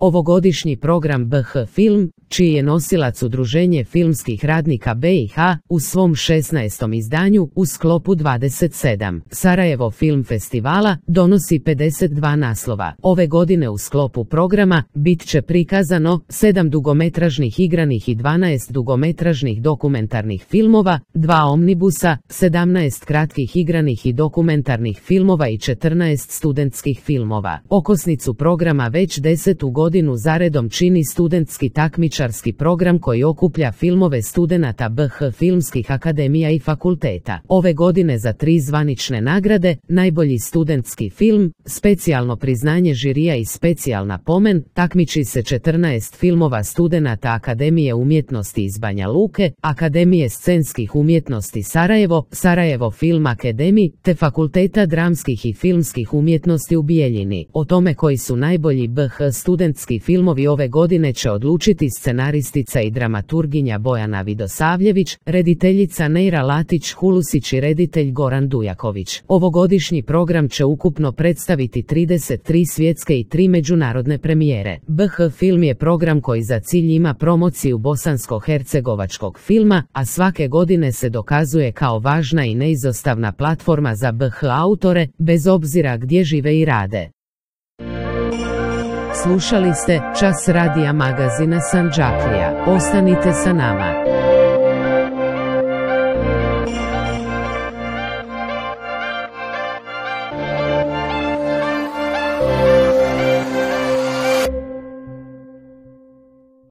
Ovogodišnji program BH Film, čiji je nosilac Udruženje filmskih radnika BiH, u svom 16. izdanju u sklopu 27 Sarajevo Film Festivala donosi 52 naslova. Ove godine u sklopu programa bit će prikazano 7 dugometražnih igranih i 12 dugometražnih dokumentarnih filmova, 2 omnibusa, 17 kratkih igranih i dokumentarnih filmova i 14 studentskih filmova. Okosnicu programa već 10. godinu zaredom čini studentski takmičarski program koji okuplja filmove studenata BH filmskih akademija i fakulteta. Ove godine za 3 zvanične nagrade, najbolji studentski film, specijalno priznanje žirija i specijalna pomen, takmiči se 14 filmova studenata Akademije umjetnosti iz Banja Luke, Akademije scenskih umjetnosti Sarajevo, Sarajevo Film Akademiji, te Fakulteta dramskih i filmskih umjetnosti u Bijeljini. O tome koji su najbolji BH studentski filmovi ove godine će odlučiti scenaristica i dramaturginja Bojana Vidosavljević, rediteljica Neira Latić-Hulusić i reditelj Goran Dujaković. Ovogodišnji program će ukupno predstaviti 33 svjetske i 3 međunarodne premijere. BH Film je program koji za cilj ima promociju bosansko-hercegovačkog filma, a svake godine se dokazuje kao važna i neizostavna platforma za BH autore, bez obzira gdje žive i rade. Slušali ste Čas radija magazina Sandžaklija. Ostanite sa nama.